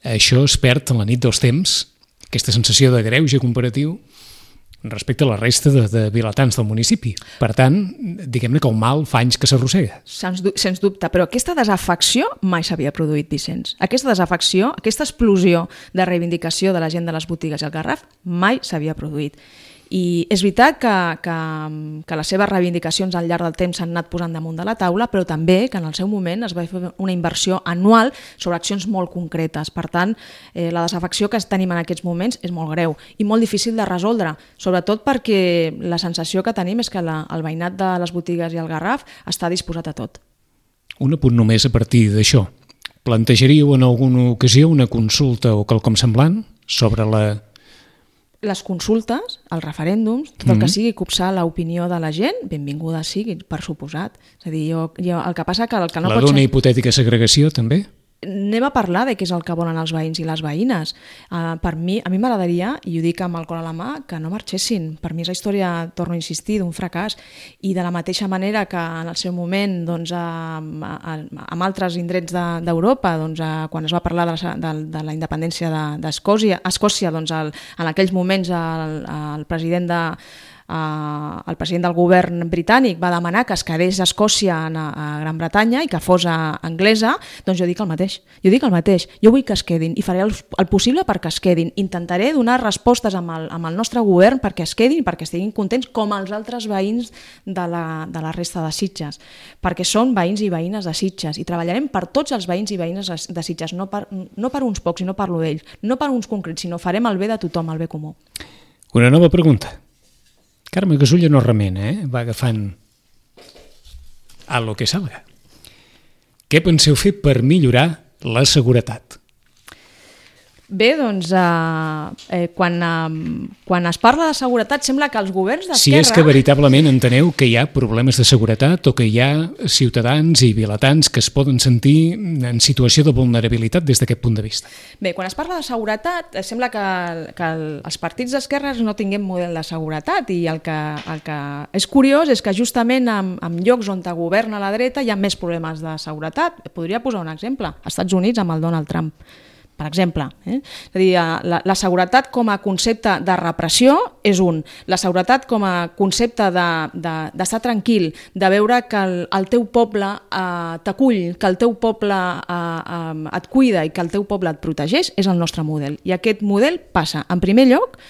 això es perd en la nit dels temps, aquesta sensació de greuge comparatiu respecte a la resta de, de vilatans del municipi. Per tant, diguem-ne que el mal fa anys que s'arrossega.
Sens, sens dubte, però aquesta desafecció mai s'havia produït, Vicenç. Aquesta desafecció, aquesta explosió de reivindicació de la gent de les botigues i el Garraf mai s'havia produït. I és veritat que, que, que les seves reivindicacions al llarg del temps s'han anat posant damunt de la taula, però també que en el seu moment es va fer una inversió anual sobre accions molt concretes. Per tant, eh, la desafecció que tenim en aquests moments és molt greu i molt difícil de resoldre, sobretot perquè la sensació que tenim és que la, el veïnat de les botigues i el Garraf està disposat a tot.
Un apunt només a partir d'això. Plantejaríeu en alguna ocasió una consulta o quelcom semblant sobre la...
Les consultes, els referèndums, tot el que sigui copsar l'opinió de la gent, benvinguda sigui, per suposat. És a dir, jo, jo, el que passa que el que no
la
pot
d'una
ser...
hipotètica segregació, també?
Anem a parlar de què és el que volen els veïns i les veïnes. Uh, per mi, a mi m'agradaria, i ho dic amb el cor a la mà, que no marxessin. Per mi és la història, torno a insistir, d'un fracàs. I de la mateixa manera que en el seu moment, doncs, a, a, amb altres indrets d'Europa, de, doncs, a, quan es va parlar de la, de, de la independència d'Escòcia, de, Escòcia, doncs, el, en aquells moments el, el president de Uh, el president del govern britànic va demanar que es quedés a Escòcia a, a Gran Bretanya i que fos a, anglesa, doncs jo dic el mateix. Jo dic el mateix. Jo vull que es quedin i faré el, el possible perquè es quedin. Intentaré donar respostes amb el, amb el nostre govern perquè es quedin i perquè estiguin contents com els altres veïns de la, de la resta de Sitges. Perquè són veïns i veïnes de Sitges i treballarem per tots els veïns i veïnes de Sitges, no per, no per uns pocs i no parlo d'ells, no per uns concrets, sinó farem el bé de tothom, el bé comú.
Una nova pregunta. Carme Gasulla no remena, eh? Va agafant a lo que salga. Què penseu fer per millorar la seguretat?
Bé, doncs, eh, eh, quan, eh, quan es parla de seguretat sembla que els governs d'esquerra...
Si és que veritablement enteneu que hi ha problemes de seguretat o que hi ha ciutadans i vilatans que es poden sentir en situació de vulnerabilitat des d'aquest punt de vista.
Bé, quan es parla de seguretat, sembla que, que el, els partits d'esquerres no tinguem model de seguretat i el que, el que és curiós és que justament en, en llocs on governa la dreta hi ha més problemes de seguretat. Podria posar un exemple. Als Estats Units amb el Donald Trump, per exemple. Eh? És a dir, la, la seguretat com a concepte de repressió és un. La seguretat com a concepte d'estar de, de, tranquil, de veure que el, el teu poble eh, t'acull, que el teu poble eh, eh, et cuida i que el teu poble et protegeix, és el nostre model. I aquest model passa, en primer lloc,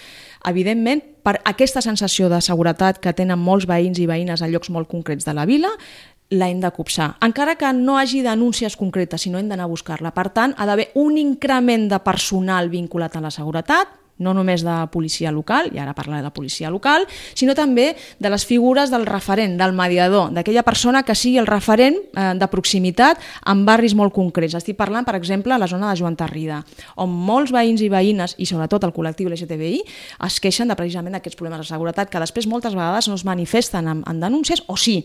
evidentment, per aquesta sensació de seguretat que tenen molts veïns i veïnes a llocs molt concrets de la vila, la hem de copsar. Encara que no hagi denúncies concretes, sinó hem d'anar a buscar-la. Per tant, ha d'haver un increment de personal vinculat a la seguretat, no només de policia local, i ara parlaré de policia local, sinó també de les figures del referent, del mediador, d'aquella persona que sigui el referent eh, de proximitat en barris molt concrets. Estic parlant, per exemple, a la zona de Joan Tarrida, on molts veïns i veïnes, i sobretot el col·lectiu L G T B I, es queixen de precisament d'aquests problemes de seguretat que després moltes vegades no es manifesten en, en denúncies, o sí,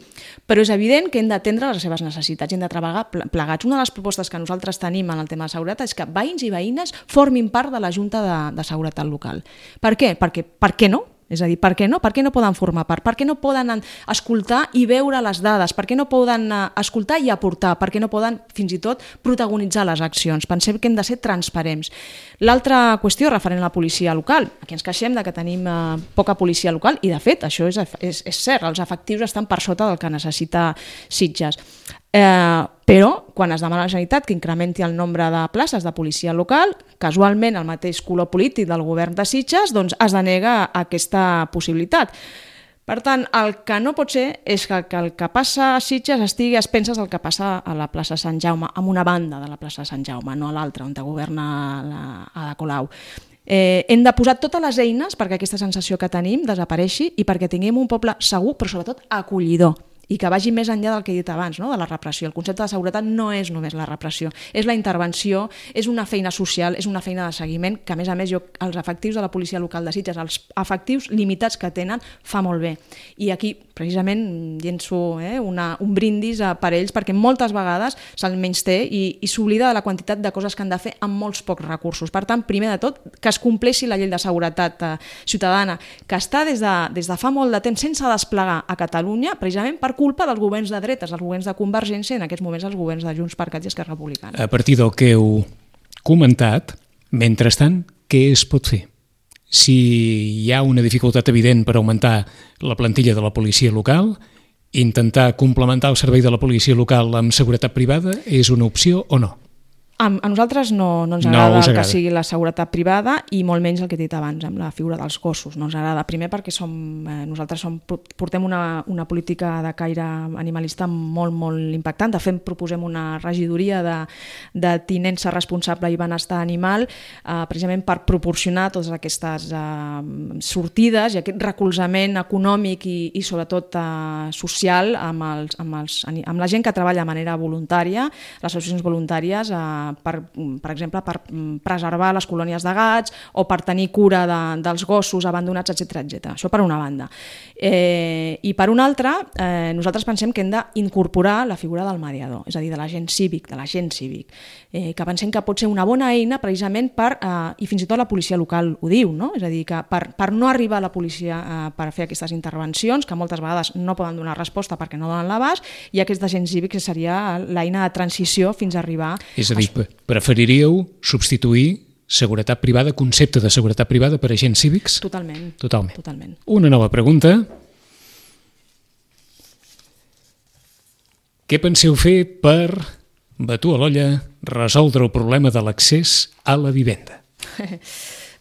però és evident que hem d'atendre les seves necessitats, hem de treballar plegats. Una de les propostes que nosaltres tenim en el tema de seguretat és que veïns i veïnes formin part de la Junta de, de Seguretat local. Per què? Perquè, per què no? És a dir, per què no? Per què no poden formar part? Per què no poden escoltar i veure les dades? Per què no poden escoltar i aportar? Per què no poden, fins i tot, protagonitzar les accions? Pensem que hem de ser transparents. L'altra qüestió referent a la policia local. Aquí ens queixem de que tenim eh, poca policia local i, de fet, això és, és, és cert, els efectius estan per sota del que necessita Sitges. Eh, però quan es demana a la Generalitat que incrementi el nombre de places de policia local, casualment el mateix color polític del govern de Sitges doncs es denega aquesta possibilitat. Per tant, el que no pot ser és que el que passa a Sitges estigui a expenses del que passa a la plaça Sant Jaume, en una banda de la plaça Sant Jaume, no a l'altra, on governa la, Ada Colau. Eh, hem de posar totes les eines perquè aquesta sensació que tenim desapareixi i perquè tinguem un poble segur, però sobretot acollidor, i que vagi més enllà del que he dit abans, no? De la repressió. El concepte de seguretat no és només la repressió, és la intervenció, és una feina social, és una feina de seguiment, que a més a més jo, els efectius de la policia local de Sitges, els efectius limitats que tenen, fa molt bé. I aquí, precisament, llenço eh, una, un brindis per ells, perquè moltes vegades se'l menysté i, i s'oblida de la quantitat de coses que han de fer amb molts pocs recursos. Per tant, primer de tot, que es compleixi la llei de seguretat eh, ciutadana, que està des de, des de fa molt de temps sense desplegar a Catalunya, precisament per culpa dels governs de dretes, els governs de Convergència i en aquests moments els governs de Junts per Cat i Esquerra Republicana.
A partir del que heu comentat, mentrestant, què es pot fer? Si hi ha una dificultat evident per augmentar la plantilla de la policia local, intentar complementar el servei de la policia local amb seguretat privada és una opció o no?
A, a nosaltres no, no ens agrada, no el que sigui la seguretat privada i molt menys el que he dit abans, amb la figura dels gossos. No ens agrada, primer perquè som, eh, nosaltres som, portem una, una política de caire animalista molt, molt impactant. De fet, proposem una regidoria de, de tinença responsable i benestar animal, eh, precisament per proporcionar totes aquestes eh, sortides i aquest recolzament econòmic i, i sobretot eh, social amb, els, amb, els, amb la gent que treballa de manera voluntària, les associacions voluntàries, eh, Per, per exemple, per preservar les colònies de gats o per tenir cura de, dels gossos abandonats, etcètera etcètera. Això per una banda. Eh, I per una altra, eh, nosaltres pensem que hem d'incorporar la figura del mediador, és a dir, de l'agent cívic, de l'agent cívic, eh, que pensem que pot ser una bona eina precisament per, eh, i fins i tot la policia local ho diu, no? És a dir, que per, per no arribar a la policia eh, per fer aquestes intervencions, que moltes vegades no poden donar resposta perquè no donen l'abast, i aquest agent cívic seria l'eina de transició fins a arribar...
És a dir, preferiríeu substituir seguretat privada, concepte de seguretat privada per agents cívics?
Totalment.
Totalment.
Totalment.
Una nova pregunta. Què penseu fer per, batu a l'olla, resoldre el problema de l'accés a la vivenda?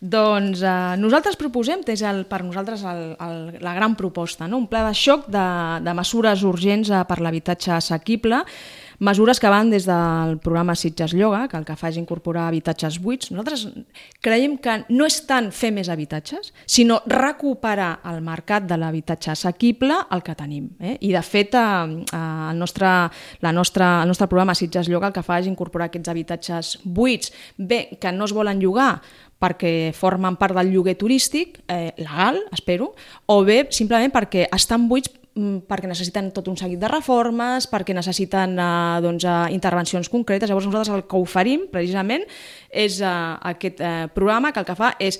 Doncs eh, nosaltres proposem, és el, per nosaltres el, el, la gran proposta, no? Un pla de xoc de, de mesures urgents eh, per l'habitatge assequible, mesures que van des del programa Sitges Lloga, que el que fa és incorporar habitatges buits. Nosaltres creiem que no és tant fer més habitatges, sinó recuperar el mercat de l'habitatge assequible el que tenim. Eh? I de fet, eh, el, nostre, la nostra, el nostre programa Sitges Lloga el que fa és incorporar aquests habitatges buits, bé, que no es volen llogar, perquè formen part del lloguer turístic, eh, legal, espero, o bé simplement perquè estan buits perquè necessiten tot un seguit de reformes, perquè necessiten eh, doncs, eh, intervencions concretes. Llavors nosaltres el que oferim precisament és eh, aquest eh, programa que el que fa és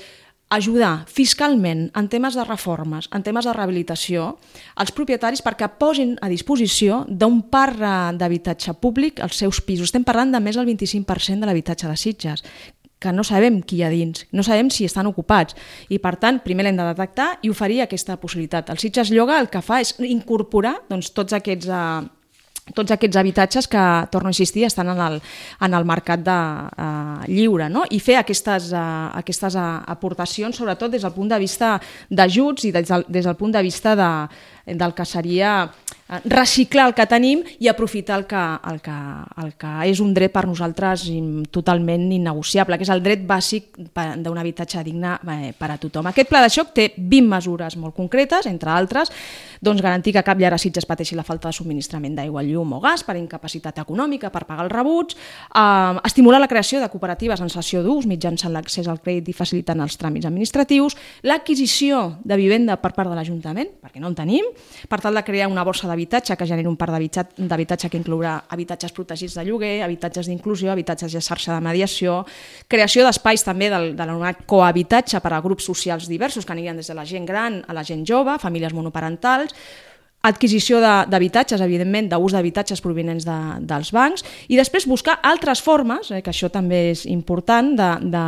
ajudar fiscalment en temes de reformes, en temes de rehabilitació, als propietaris perquè posin a disposició d'un parc d'habitatge públic els seus pisos. Estem parlant de més del vint-i-cinc per cent de l'habitatge de Sitges, que no sabem qui hi ha dins, no sabem si estan ocupats i per tant primer l'hem de detectar i oferir aquesta possibilitat. El Sitges Lloga el que fa és incorporar doncs, tots aquests eh, tots aquests habitatges que, torno a insistir, estan en el, en el mercat de, uh, lliure, no? I fer aquestes, uh, aquestes uh, aportacions, sobretot des del punt de vista d'ajuts i des del, des del punt de vista de, del que seria reciclar el que tenim i aprofitar el que, el, que, el que és un dret per nosaltres totalment innegociable, que és el dret bàsic d'un habitatge digne per a tothom. Aquest pla de xoc té vint mesures molt concretes, entre altres, Doncs garantir que cap llar a Sitges pateixi la falta de subministrament d'aigua, llum o gas per incapacitat econòmica, per pagar els rebuts, eh, estimular la creació de cooperatives en cessió d'ús mitjançant l'accés al crèdit i facilitant els tràmits administratius, l'adquisició de vivenda per part de l'Ajuntament, perquè no en tenim, per tal de crear una borsa d'habitatge que generi un parc d'habitatge que inclourà habitatges protegits de lloguer, habitatges d'inclusió, habitatges de xarxa de mediació, creació d'espais també del, de l'anomenat cohabitatge per a grups socials diversos que anirien des de la gent gran a la gent jove, famílies monoparentals, adquisició d'habitatges, evidentment, d'ús d'habitatges provinents de, dels bancs, i després buscar altres formes, eh, que això també és important, de, de,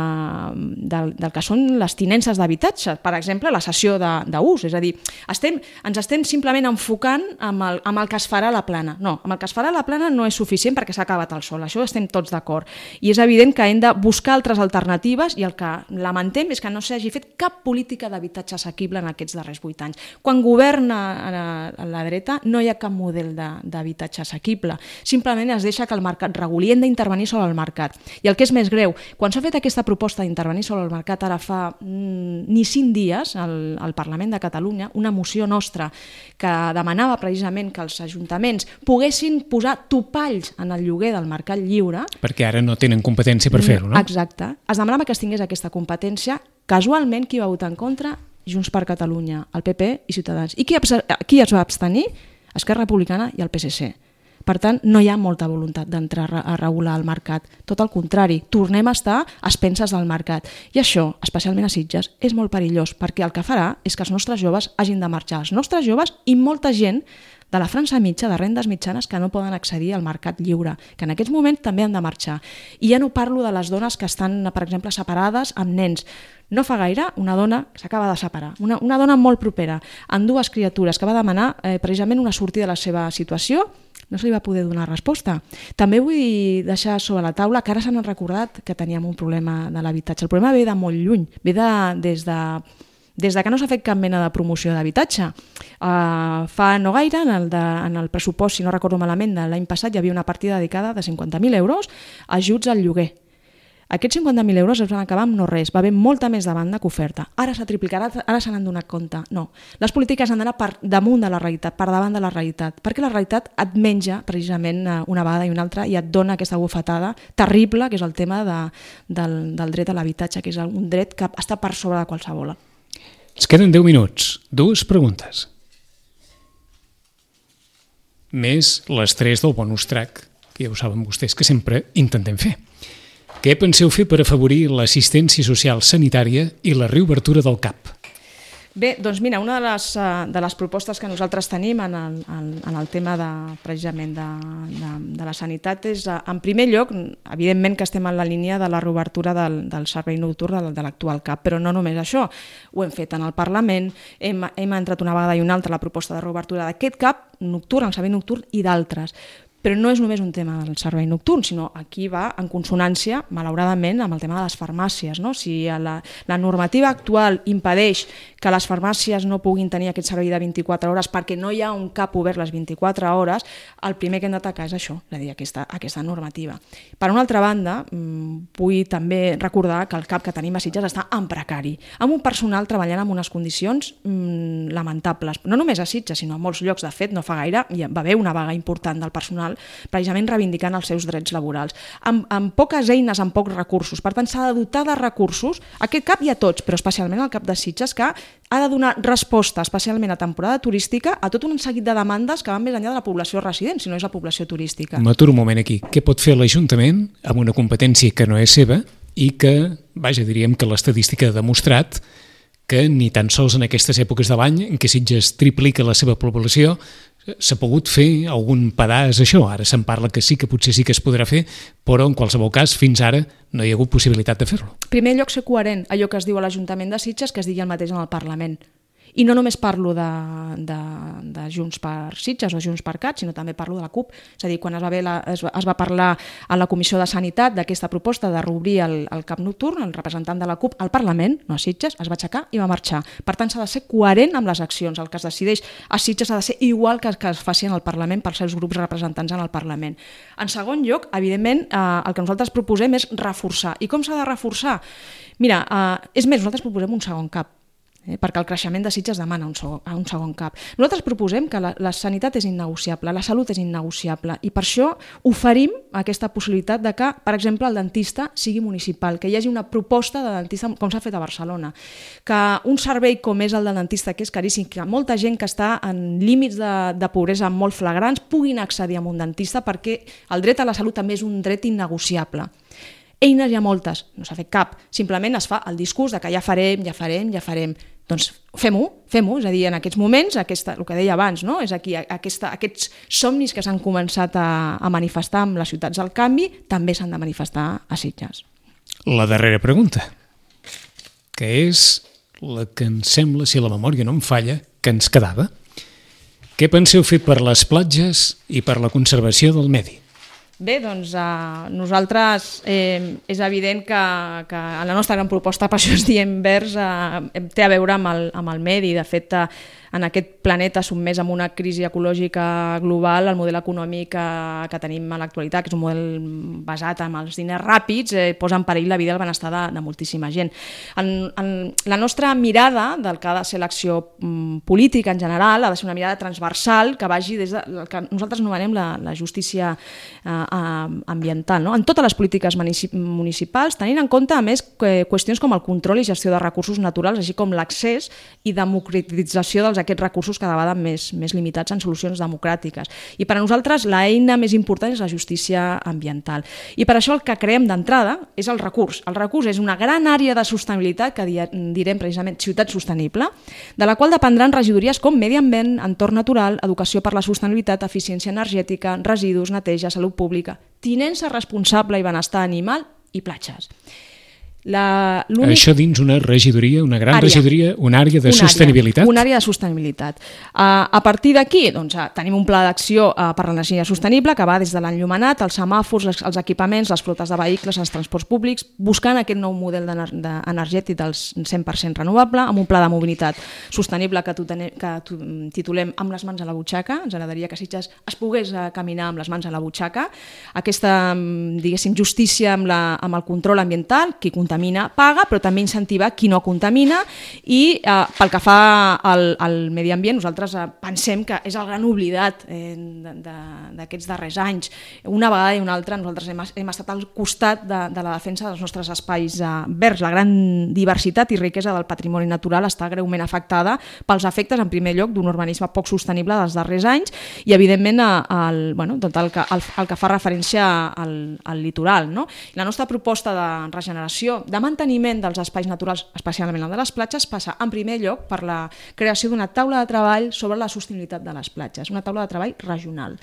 de, del que són les tinences d'habitatge, per exemple, la cessió d'ús, és a dir, estem, ens estem simplement enfocant amb el, amb el que es farà a la plana. No, amb el que es farà a la plana no és suficient perquè s'ha acabat el sol, això estem tots d'acord, i és evident que hem de buscar altres alternatives, i el que lamentem és que no s'hagi fet cap política d'habitatge assequible en aquests darrers vuit anys. Quan governa a a la dreta no hi ha cap model d'habitatge assequible. Simplement es deixa que el mercat reguli, hem d'intervenir sobre el mercat. I el que és més greu, quan s'ha fet aquesta proposta d'intervenir sobre el mercat ara fa mm, ni cinc dies al, al Parlament de Catalunya, una moció nostra que demanava precisament que els ajuntaments poguessin posar topalls en el lloguer del mercat lliure.
Perquè ara no tenen competència per fer-ho, no?
Exacte. Es demanava que es tingués aquesta competència. Casualment, qui va votar en contra? Junts per Catalunya, el P P i Ciutadans. I qui, qui es va abstenir? Esquerra Republicana i el P S C. Per tant, no hi ha molta voluntat d'entrar a regular el mercat. Tot el contrari, tornem a estar a expenses del mercat. I això, especialment a Sitges, és molt perillós, perquè el que farà és que els nostres joves hagin de marxar. Els nostres joves i molta gent de la franja mitja, de rendes mitjanes, que no poden accedir al mercat lliure, que en aquests moments també han de marxar. I ja no parlo de les dones que estan, per exemple, separades amb nens. No fa gaire, una dona s'acaba de separar, una, una dona molt propera, amb dues criatures, que va demanar eh, precisament una sortida de la seva situació, no se li va poder donar resposta. També vull deixar sobre la taula que ara s'han recordat que teníem un problema de l'habitatge. El problema ve de molt lluny, ve de, des de... des de que no s'ha fet cap mena de promoció d'habitatge. Uh, fa no gaire, en el, de, en el pressupost, si no recordo malament, de l'any passat hi havia una partida dedicada de cinquanta mil euros a ajuts al lloguer. Aquests cinquanta mil euros es van acabar amb no res, va haver molta més demanda que oferta. Ara s'ha triplicat, ara se n'han donat compte. No, les polítiques han d'anar per damunt de la realitat, per davant de la realitat, perquè la realitat et menja precisament una vegada i una altra i et dona aquesta bufetada terrible, que és el tema de, del, del dret a l'habitatge, que és un dret que està per sobre de qualsevol.
Ens queden deu minuts. Dues preguntes. Més les tres del bonus track, que ja ho saben vostès que sempre intentem fer. Què penseu fer per afavorir l'assistència social sanitària i la reobertura del C A P?
Bé, doncs mira, una de les, de les propostes que nosaltres tenim en el, en el tema de, precisament de, de, de la sanitat és, en primer lloc, evidentment que estem en la línia de la reobertura del, del servei nocturn de, de l'actual C A P, però no només això, ho hem fet en el Parlament, hem, hem entrat una vegada i una altra la proposta de reobertura d'aquest C A P nocturn, el servei nocturn i d'altres. Però no és només un tema del servei nocturn, sinó aquí va en consonància, malauradament, amb el tema de les farmàcies. No? Si la, la normativa actual impedeix que les farmàcies no puguin tenir aquest servei de vint-i-quatre hores perquè no hi ha un C A P obert les vint-i-quatre hores, el primer que hem d'atacar és això, és a dir, aquesta, aquesta normativa. Per una altra banda, vull també recordar que el C A P que tenim a Sitges està en precari, amb un personal treballant en unes condicions mmm, lamentables. No només a Sitges, sinó a molts llocs. De fet, no fa gaire hi va haver una vaga important del personal precisament reivindicant els seus drets laborals. Amb, amb poques eines, amb pocs recursos. Per tant, s'ha de dotar de recursos. Aquest C A P hi ha tots, però especialment el C A P de Sitges, que ha de donar resposta, especialment a temporada turística, a tot un seguit de demandes que van més enllà de la població resident, si no és la població turística.
M'aturo un moment aquí. Què pot fer l'Ajuntament amb una competència que no és seva i que, vaja, diríem que l'estadística ha demostrat que ni tan sols en aquestes èpoques de l'any en què Sitges triplica la seva població s'ha pogut fer algun pedaç això. Ara se'n parla que sí, que potser sí que es podrà fer, però en qualsevol cas fins ara no hi ha hagut possibilitat de fer-lo.
En primer lloc, ser coherent, allò que es diu a l'Ajuntament de Sitges que es digui el mateix en el Parlament. I no només parlo de, de, de Junts per Sitges o Junts per Cat, sinó també parlo de la CUP. És a dir, quan es va, la, es, es va parlar a la Comissió de Sanitat d'aquesta proposta de reobrir el, el C A P nocturn, el representant de la CUP al Parlament, no a Sitges, es va aixecar i va marxar. Per tant, s'ha de ser coherent amb les accions. El que es decideix a Sitges ha de ser igual que, que es faci en el Parlament pels seus grups representants en el Parlament. En segon lloc, evidentment, eh, el que nosaltres proposem és reforçar. I com s'ha de reforçar? Mira, eh, és més, nosaltres proposem un segon C A P. eh? perquè el creixement de Sitges demana un segon, un segon cap. Nosaltres proposem que la, la sanitat és innegociable, la salut és innegociable, i per això oferim aquesta possibilitat de que, per exemple, el dentista sigui municipal, que hi hagi una proposta de dentista com s'ha fet a Barcelona, que un servei com és el del dentista, que és caríssim, que molta gent que està en límits de, de pobresa molt flagrants puguin accedir a un dentista, perquè el dret a la salut també és un dret innegociable. Eines hi ha moltes, no s'ha fet cap, simplement es fa el discurs de que ja farem, ja farem, ja farem. Doncs fem-ho, fem-ho, és a dir, en aquests moments, aquesta, el que deia abans, no? És aquí, aquesta, aquests somnis que s'han començat a, a manifestar en les ciutats del canvi també s'han de manifestar a Sitges.
La darrera pregunta, que és la que em sembla, si la memòria no em falla, que ens quedava. Què penseu fer per les platges i per la conservació del medi?
Bé, doncs eh, nosaltres eh, és evident que, que en la nostra gran proposta, per això es diem verds, eh, té a veure amb el, amb el medi. De fet, eh, en aquest planeta sotmès amb una crisi ecològica global, el model econòmic que, que tenim a l'actualitat, que és un model basat en els diners ràpids, eh, posa en perill la vida i el benestar de, de moltíssima gent. En, en la nostra mirada del que ha de ser l'acció mm, política en general ha de ser una mirada transversal que vagi des del que nosaltres anomenem la, la justícia eh, ambiental, no? En totes les polítiques municipals, tenint en compte, a més, qüestions com el control i gestió de recursos naturals, així com l'accés i democratització dels aquests recursos cada vegada més, més limitats en solucions democràtiques. I per a nosaltres l'eina més important és la justícia ambiental. I per això el que creem d'entrada és el recurs. El recurs és una gran àrea de sostenibilitat, que direm precisament ciutat sostenible, de la qual dependran regidories com medi ambient, entorn natural, educació per la sostenibilitat, eficiència energètica, residus, neteja, salut pública, tinença responsable i benestar animal i platges. La,
Això dins una regidoria, una gran
àrea,
regidoria, una àrea de
una
sostenibilitat?
Àrea, una àrea de sostenibilitat. Uh, a partir d'aquí doncs, uh, tenim un pla d'acció uh, per l'energia sostenible que va des de l'enllumenat, els semàfors, els, els equipaments, les flotes de vehicles, els transports públics, buscant aquest nou model energètic del cent per cent renovable, amb un pla de mobilitat sostenible que, tene, que titulem Amb les mans a la butxaca. Ens agradaria que Sitges es pogués uh, caminar amb les mans a la butxaca. Aquesta, diguéssim, justícia amb, la, amb el control ambiental, qui contamina paga, però també incentivar qui no contamina, i eh, pel que fa al, al medi ambient, nosaltres eh, pensem que és el gran oblidat eh, d'aquests darrers anys. Una vegada i una altra nosaltres hem, hem estat al costat de, de la defensa dels nostres espais eh, verds. La gran diversitat i riquesa del patrimoni natural està greument afectada pels efectes, en primer lloc, d'un urbanisme poc sostenible dels darrers anys i, evidentment, el, bueno, tot el que, el, el que fa referència al, al litoral, no? La nostra proposta de regeneració, de manteniment dels espais naturals, especialment el de les platges, passa en primer lloc per la creació d'una taula de treball sobre la sostenibilitat de les platges, una taula de treball regional.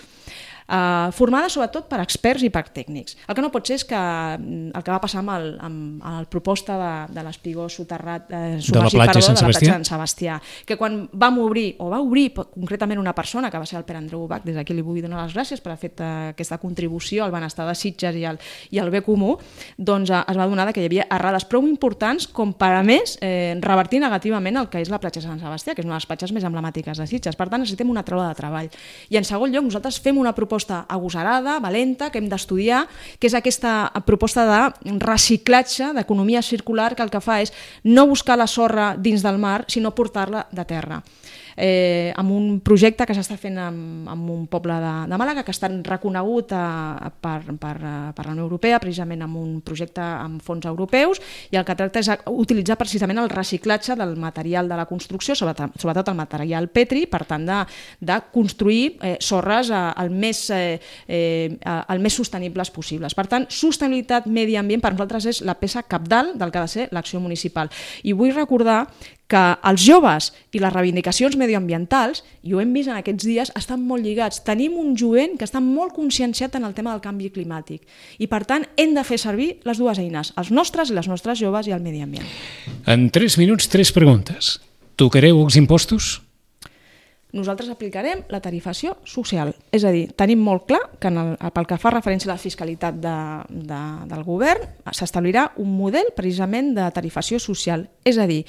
Uh, formada sobretot per experts i per tècnics. El que no pot ser és que el que va passar amb el, amb el proposta de, de l'espigó soterrat eh,
de la platja de Sant Sebastià,
Sebastià, que quan vam obrir, o va obrir concretament una persona, que va ser el Pere Andreu Ubach, des d'aquí li vull donar les gràcies per haver fet uh, aquesta contribució al benestar de Sitges i al, i al bé comú, doncs uh, es va adonar que hi havia errades prou importants com per, a més, eh, revertir negativament el que és la platja de Sant Sebastià, que és una de les platges més emblemàtiques de Sitges. Per tant, necessitem una taula de treball. I en segon lloc, nosaltres fem una proposta agosarada, valenta, que hem d'estudiar, que és aquesta proposta de reciclatge, d'economia circular, que el que fa és no buscar la sorra dins del mar, sinó portar-la de terra. Eh, amb un projecte que s'està fent amb, amb un poble de, de Màlaga, que està reconegut a, per, per, per la Unió Europea, precisament amb un projecte amb fons europeus, i el que tracta és utilitzar precisament el reciclatge del material de la construcció, sobretot, sobretot el material petri, per tant de, de construir eh, sorres eh, el, més, eh, eh, el més sostenibles possibles. Per tant, sostenibilitat, medi ambient, per nosaltres és la peça cabdal del que ha de ser l'acció municipal. I vull recordar que els joves i les reivindicacions medioambientals, i ho hem vist en aquests dies, estan molt lligats. Tenim un jovent que està molt conscienciat en el tema del canvi climàtic i, per tant, hem de fer servir les dues eines, els nostres i les nostres joves i el medi ambient.
En tres minuts, tres preguntes. Tocareu els impostos?
Nosaltres aplicarem la tarifació social. És a dir, tenim molt clar que en el, pel que fa referència a la fiscalitat de, de, del govern s'establirà un model precisament de tarifació social. És a dir,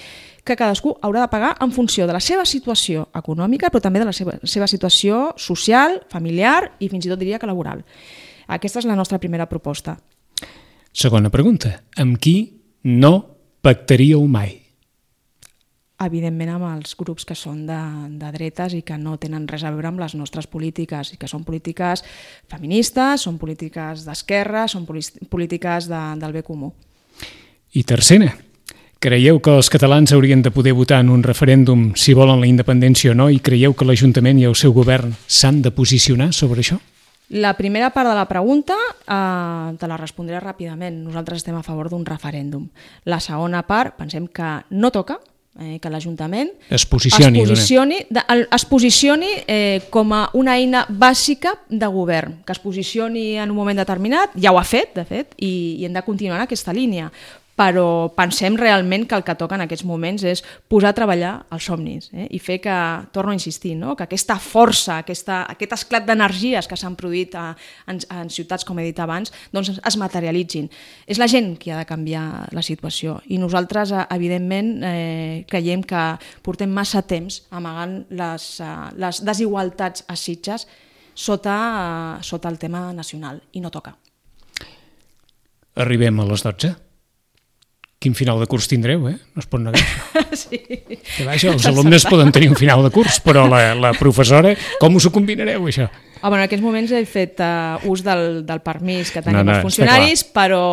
que cadascú haurà de pagar en funció de la seva situació econòmica, però també de la seva, seva situació social, familiar i fins i tot diria que laboral. Aquesta és la nostra primera proposta.
Segona pregunta. Amb qui no pactaríeu mai?
evidentment, amb els grups que són de, de dretes i que no tenen res a veure amb les nostres polítiques, i que són polítiques feministes, són polítiques d'esquerra, són polítiques de, del bé comú.
I tercera, creieu que els catalans haurien de poder votar en un referèndum si volen la independència o no, i creieu que l'Ajuntament i el seu govern s'han de posicionar sobre això?
La primera part de la pregunta eh, te la respondré ràpidament. Nosaltres estem a favor d'un referèndum. La segona part, pensem que no toca, eh, que l'Ajuntament
es posicioni,
es posicioni, de, es posicioni eh, com a una eina bàsica de govern, que es posicioni en un moment determinat, ja ho ha fet, de fet, i, i hem de continuar en aquesta línia. Però pensem realment que el que toca en aquests moments és posar a treballar els somnis, eh? I fer que, torno a insistir, no? Que aquesta força, aquesta, aquest esclat d'energies que s'han produït a, en, en ciutats, com he dit abans, doncs es materialitzin. És la gent qui ha de canviar la situació, i nosaltres, evidentment, eh, creiem que portem massa temps amagant les, les desigualtats a Sitges sota, sota el tema nacional, i no toca.
Arribem a les dotze. Quin final de curs tindreu, eh? No es pot negar.
Sí.
Que vaja, els alumnes poden tenir un final de curs, però la, la professora, com us ho combinareu, això?
Ah, bueno, en aquests moments he fet uh, ús del, del permís que tenim
no, no,
els funcionaris, però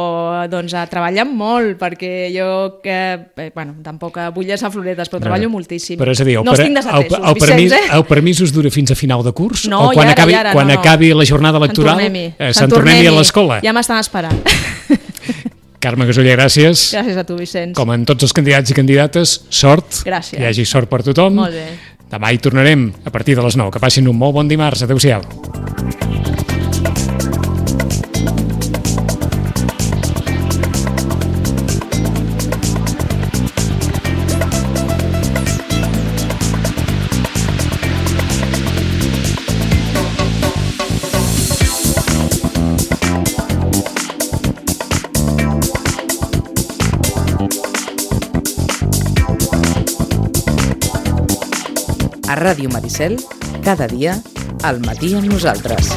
doncs, uh, treballen molt, perquè jo, que, eh, bueno, tampoc vull llançar floretes, però no, treballo moltíssim.
Però és a dir, el,
no
per,
estic desatesos,
el, el, permís, eh? el permís us dura fins a final de curs?
No,
o quan
i ara,
acabi,
i ara,
quan
no, no.
acabi la jornada electoral, eh, se'n tornem-hi a l'escola?
Ja m'estan esperant.
Carme Gasuller, gràcies.
Gràcies a tu, Vicenç.
Com en tots els candidats i candidates, sort.
Gràcies.
Que hi hagi sort per tothom.
Molt bé.
Demà hi tornarem a partir de les nou. Que passin un molt bon dimarts. Adéu-siau.
A Ràdio Maricel, cada dia, al matí amb nosaltres.